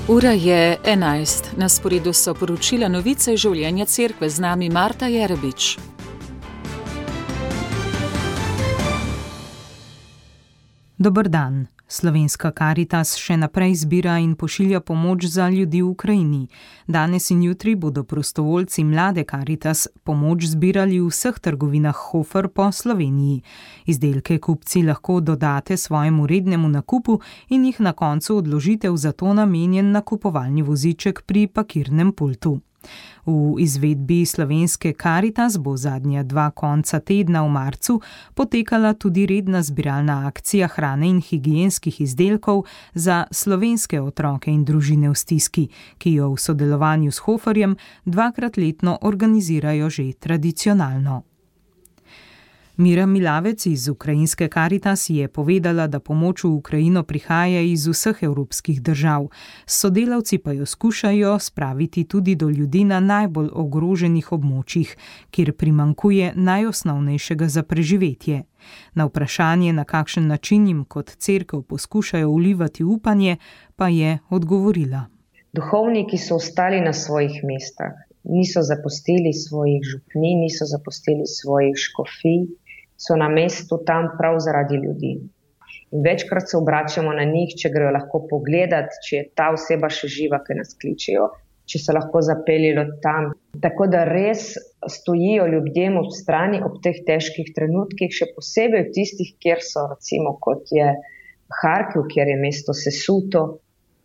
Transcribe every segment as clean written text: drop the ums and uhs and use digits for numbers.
Ura je 11. Na sporedu so poročila novice življenja cerkve, z nami Marta Jerebič. Dober dan. Slovenska Karitas še naprej zbira in pošilja pomoč za ljudi v Ukrajini. Danes in jutri bodo prostovoljci mlade Karitas pomoč zbirali v vseh trgovinah Hofer po Sloveniji. Izdelke kupci lahko dodate svojemu rednemu nakupu in jih na koncu odložite v za to namenjen nakupovalni voziček pri pakirnem pultu. V izvedbi Slovenske Karitas bo zadnja 2 konca tedna v marcu potekala tudi redna zbiralna akcija hrane in higienskih izdelkov za slovenske otroke in družine v stiski, ki jo v sodelovanju s Hoferjem 2-krat letno organizirajo že tradicionalno. Mira Milavec iz ukrajinske Karitas je povedala, da pomoč v Ukrajino prihaja iz vseh evropskih držav. Sodelavci pa jo skušajo spraviti tudi do ljudi na najbolj ogroženih območjih, kjer primanjkuje najosnovnejšega za preživetje. Na vprašanje, na kakšen način jim kot cerkev poskušajo vlivati upanje, pa je odgovorila. Duhovniki so ostali na svojih mestah. Niso zapustili svojih župnij, niso zapustili svojih škofij, so na mestu tam prav zaradi ljudi. In večkrat se obračamo na njih, če grejo lahko pogledat, če je ta oseba še živa, ki nas kličejo, če se lahko zapeljejo tam. Tako da res stojijo ljudem ob strani ob teh težkih trenutkih, še posebej v tistih, kjer so, recimo kot je Harkiv, kjer je mesto sesuto,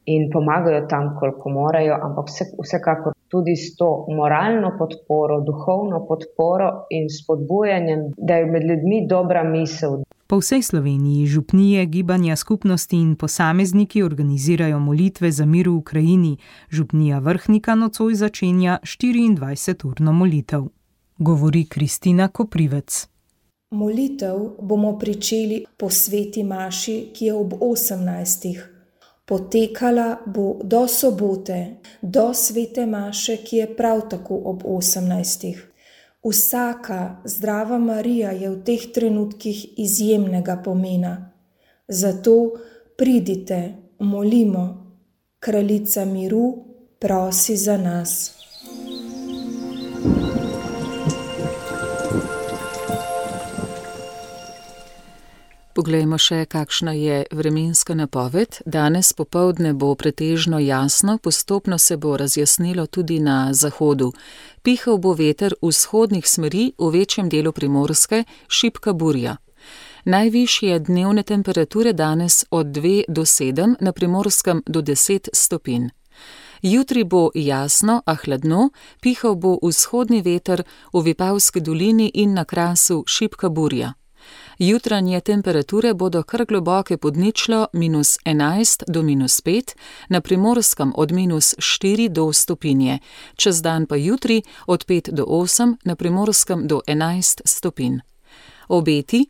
in pomagajo tam, koliko morajo, ampak vsekakor tudi s to moralno podporo, duhovno podporo in spodbujanjem, da je med ljudmi dobra misel. Po vsej Sloveniji župnije, gibanja skupnosti in posamezniki organizirajo molitve za mir v Ukrajini. Župnija Vrhnika nocoj začenja 24-urno molitev. Govori Kristina Koprivec. Molitev bomo pričeli po sveti maši, ki je ob 18. Potekala bo do sobote, do svete maše, ki je prav tako ob 18. Vsaka zdrava Marija je v teh trenutkih izjemnega pomena. Zato pridite, molimo, kraljica miru prosi za nas. Poglejmo še, kakšna je vremenska napoved. Danes popoldne bo pretežno jasno, postopno se bo razjasnilo tudi na zahodu. Pihal bo veter vzhodnih smeri, v večjem delu Primorske šibka burja. Najvišje dnevne temperature danes od 2 do 7, na Primorskem do 10 stopinj. Jutri bo jasno, a hladno, pihal bo vzhodni veter, v Vipavski dolini in na Krasu šibka burja. Jutranje temperature bodo kar globoke pod ničlo, -11 do -5, na Primorskem od -4 do stopinje, čez dan pa jutri od 5 do 8, na Primorskem do 11 stopinj. Obeti: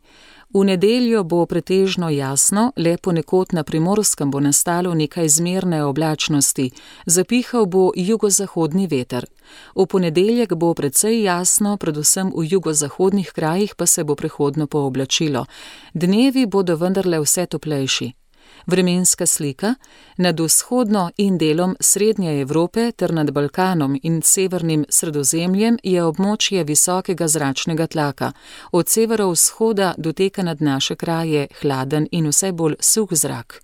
v nedeljo bo pretežno jasno, le ponekod na Primorskem bo nastalo nekaj zmerne oblačnosti, zapihal bo jugozahodni veter. V ponedeljek bo precej jasno, predvsem v jugozahodnih krajih pa se bo prehodno pooblačilo. Dnevi bodo vendarle vse toplejši. Vremenska slika: nad vzhodno in delom Srednje Evrope ter nad Balkanom in severnim Sredozemljem je območje visokega zračnega tlaka. Od severovzhoda doteka nad naše kraje hladen in vse bolj suh zrak.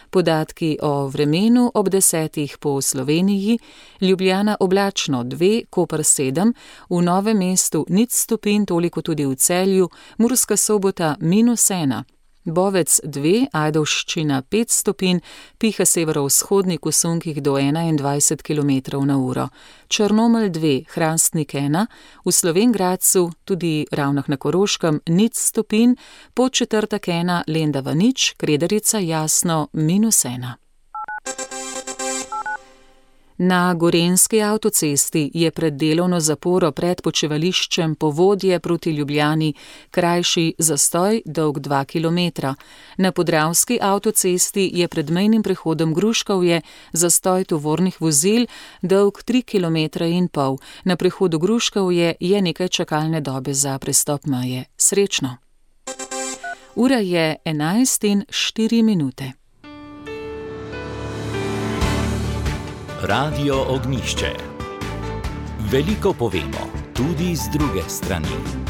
Podatki o vremenu ob 10. po Sloveniji: Ljubljana oblačno 2, Koper 7, v Novem mestu 0 stopinj, toliko tudi v Celju, Murska Sobota -1, Bovec 2, Ajdovščina 5 stopinj, piha severovzhodnik v sunkih do 21 km/h. Črnomelj 2, Hrastnik 1, v Slovenj Gradcu, tudi Ravnah na Koroškem 0 stopinj, Podčetrtek 1, Lendava 0, Kredarica jasno -1. Na Gorenjski avtocesti je pred delovno zaporo pred počivališčem Povodje proti Ljubljani krajši zastoj dolg 2 km. Na Podravski avtocesti je pred mejnim prehodom Gruškovje zastoj tovornih vozil dolg 3,5 km. Na prehodu Gruškovje je nekaj čakalne dobe za prestop meje. Srečno! Ura je 11:04. Radio Ognišče. Veliko povemo, tudi z druge strani.